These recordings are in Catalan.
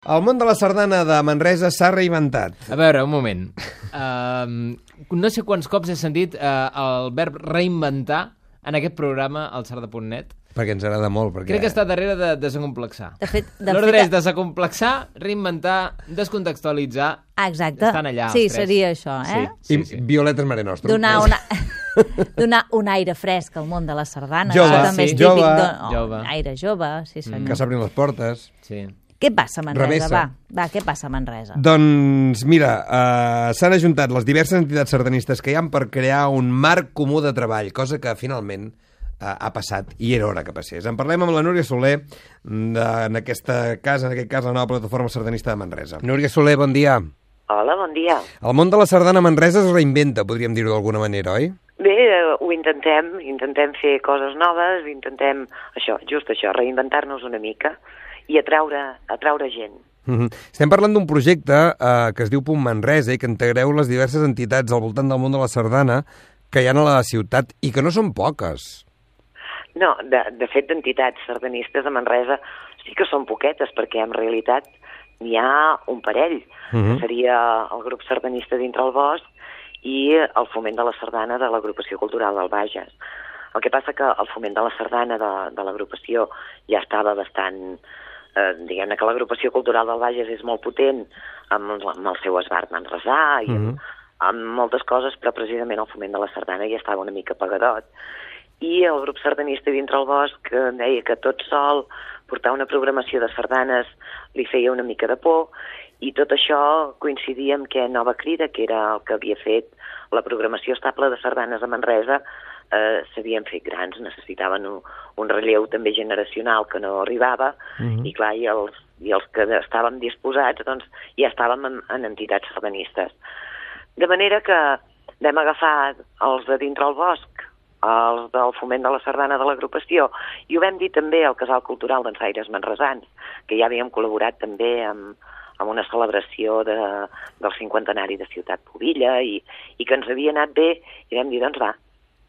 El món de la sardana de Manresa s'ha reinventat. A veure, un moment. No sé quants cops he sentit el verb reinventar en aquest programa al sarda.net. Perquè ens agrada molt. Perquè... Crec que està darrere de desacomplexar. L'ordre és desacomplexar, reinventar, descontextualitzar. Exacte. Estan allà, sí, els tres. seria això, eh? Sí. I Violetes Mare Nostrum. Donar un aire fresc al món de la sardana. Jove, Això també és sí. típic. Jove. Aire jove, sí senyor. Que s'obrin les portes. Sí. Què passa a Manresa? Revessa. Va, què passa a Manresa? Doncs mira, s'han ajuntat les diverses entitats sardanistes que hi ha per crear un marc comú de treball, cosa que finalment ha passat i era hora que passés. En parlem amb la Núria Soler, en aquest cas la nova plataforma sardanista de Manresa. Núria Soler, bon dia. Hola, bon dia. El món de la sardana a Manresa es reinventa, podríem dir-ho d'alguna manera, oi? Bé, ho intentem fer coses noves, intentem just això, reinventar-nos una mica i atraure gent. Estem parlant d'un projecte que es diu Punt Manresa i que integreu les diverses entitats al voltant del món de la sardana que hi ha a la ciutat i que no són poques. No, de fet, d'entitats sardanistes a Manresa sí que són poquetes, perquè en realitat n'hi ha un parell, que seria el grup sardanista dintre el bosc i el foment de la sardana de l'agrupació cultural del Bages. El que passa que el foment de la sardana de l'agrupació ja estava bastant... diguem-ne que l'agrupació cultural del Bages és molt potent amb el seu esbart manresà i amb moltes coses, però precisament el foment de la sardana ja estava una mica apagadot. I el grup sardanista dintre el bosc deia que tot sol portar una programació de sardanes li feia una mica de por, i tot això coincidia amb que Nova Crida, que era el que havia fet la programació estable de sardanes a Manresa, s'havien fet grans, necessitaven un relleu també generacional que no arribava, i clar, i els que estàvem disposats doncs, ja estàvem en entitats sardanistes. De manera que vam agafar els de dintre el bosc, els del foment de la sardana de l'agrupació, i ho vam dir també al Casal Cultural d'Ensaires Manresans, que ja havíem col·laborat també amb una celebració del cinquantenari de Ciutat Pubilla, i que ens havia anat bé, i vam dir, doncs va,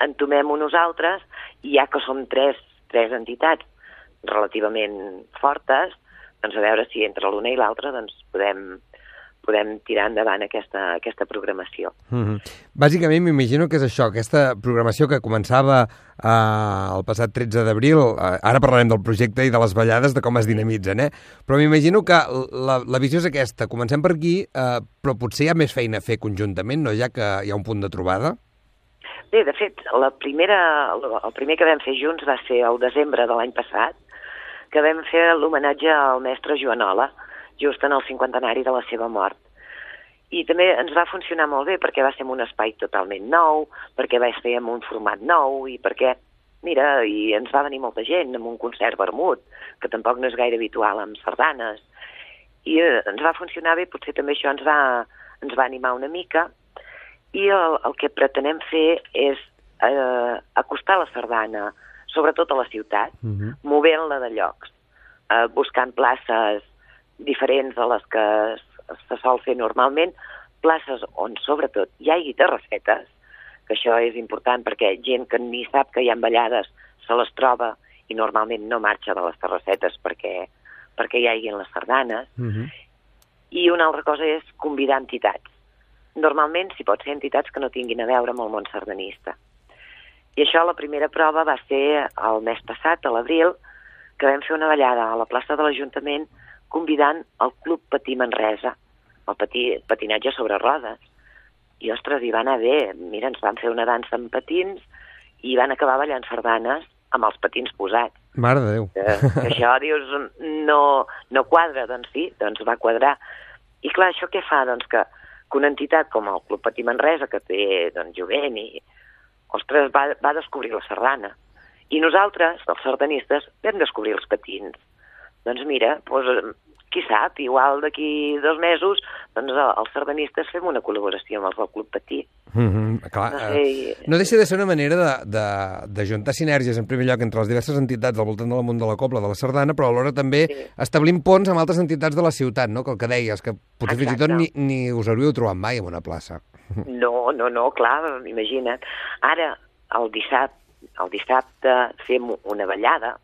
entomem-ho nosaltres, i ja que som tres entitats relativament fortes, doncs a veure si entre l'una i l'altra doncs podem tirar endavant aquesta programació. Bàsicament m'imagino que és això, aquesta programació que començava el passat 13 d'abril, ara parlarem del projecte i de les ballades, de com es dinamitzen, però m'imagino que la visió és aquesta, comencem per aquí, però potser hi ha més feina a fer conjuntament, no? Ja que hi ha un punt de trobada? Bé, de fet, el primer que vam fer junts va ser el desembre de l'any passat, que vam fer l'homenatge al mestre Joanola, just en el cinquantenari de la seva mort. I també ens va funcionar molt bé perquè va ser en un espai totalment nou, perquè va ser en un format nou i perquè, mira, i ens va venir molta gent amb un concert vermut, que tampoc no és gaire habitual amb sardanes. I ens va funcionar bé, potser també això ens va animar una mica, i el que pretenem fer és acostar la sardana, sobretot a la ciutat, movent-la de llocs, buscant places diferents a les que se sol fer normalment, places on sobretot hi hagi terrassetes, que això és important perquè gent que ni sap que hi ha ballades se les troba i normalment no marxa de les terrassetes perquè hi hagin les sardanes. I una altra cosa és convidar entitats. Normalment, si pot ser entitats que no tinguin a veure amb el món sardanista. I això, la primera prova va ser el mes passat, a l'abril, que vam fer una ballada a la plaça de l'Ajuntament convidant el Club Patí Manresa, el patinatge sobre rodes. I, ostres, hi va anar bé. Mira, ens van fer una dansa amb patins i van acabar ballant sardanes amb els patins posats. Mare de Déu. Això, dius, no quadra. Doncs sí, doncs va quadrar. I clar, això què fa? Doncs que una entitat com el Club Patí Manresa, que té jovent, ostres, va descobrir la sardana. I nosaltres, els sardanistes, vam descobrir els patins. Doncs mira, qui sap, igual d'aquí 2 mesos, doncs els sardanistes fem una col·laboració amb els del Club Patí. Clar, no deixa de ser una manera d'ajuntar sinergies, en primer lloc, entre les diverses entitats al voltant del món de la cobla, de la sardana, però alhora també establint ponts amb altres entitats de la ciutat, no? Que el que deies, que potser fins i tot ni us hauríeu trobat mai en una plaça. No, clar, imagina't. Ara, el dissabte fem una ballada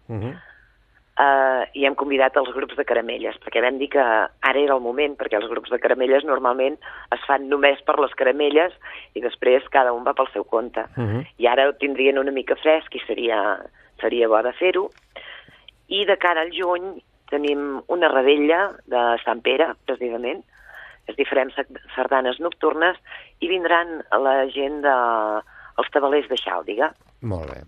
i hem convidat els grups de caramelles, perquè vam dir que ara era el moment, perquè els grups de caramelles normalment es fan només per les caramelles i després cada un va pel seu compte. I ara ho tindrien una mica fresc i seria bo de fer-ho. I de cara al juny tenim una revetlla de Sant Pere, precisament. Es farem sardanes nocturnes i vindran la gent dels tabalers de Xàldiga. Molt bé.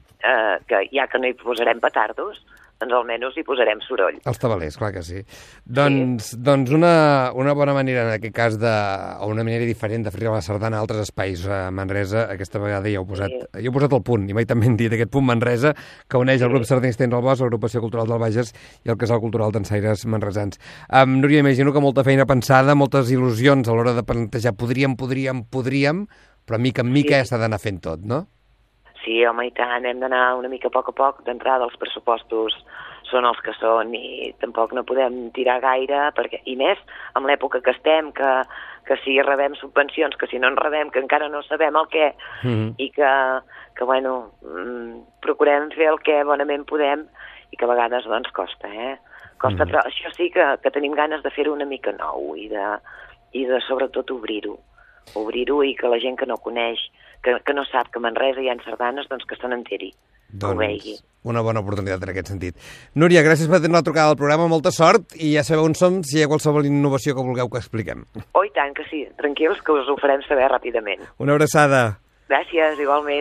Que ja que no hi posarem petardos, doncs almenys hi posarem soroll. Els tabalers, clar que sí. Doncs una bona manera, en aquest cas, o una manera diferent de fer la sardana a altres espais a Manresa, aquesta vegada ja heu posat el punt, i mai també hem dit aquest punt Manresa, que uneix el grup sardanista Dins del Bosc, l'agrupació cultural del Bages i el casal cultural dansaires manresans. Núria, imagino que molta feina pensada, moltes il·lusions a l'hora de plantejar podríem, però mica en mica ja s'ha d'anar fent tot, no? Sí, home, i tant, hem d'anar una mica a poc. D'entrada, els pressupostos són els que són i tampoc no podem tirar gaire, i més amb l'època que estem, que si rebem subvencions, que si no en rebem, que encara no sabem el què, i que bueno, procurem fer el que bonament podem i que a vegades doncs costa, Costa, però això sí que tenim ganes de fer-ho una mica nou i de sobretot obrir-ho i que la gent que no coneix, que no sap que a Manresa hi ha sardanes, doncs que se n'enteri, que ho vegi. Una bona oportunitat en aquest sentit. Núria, gràcies per tenir la trucada al programa, molta sort, i ja sabeu on som si hi ha qualsevol innovació que vulgueu que expliquem. Oh, i tant que sí, tranquils, que us ho farem saber ràpidament. Una abraçada. Gràcies, igualment.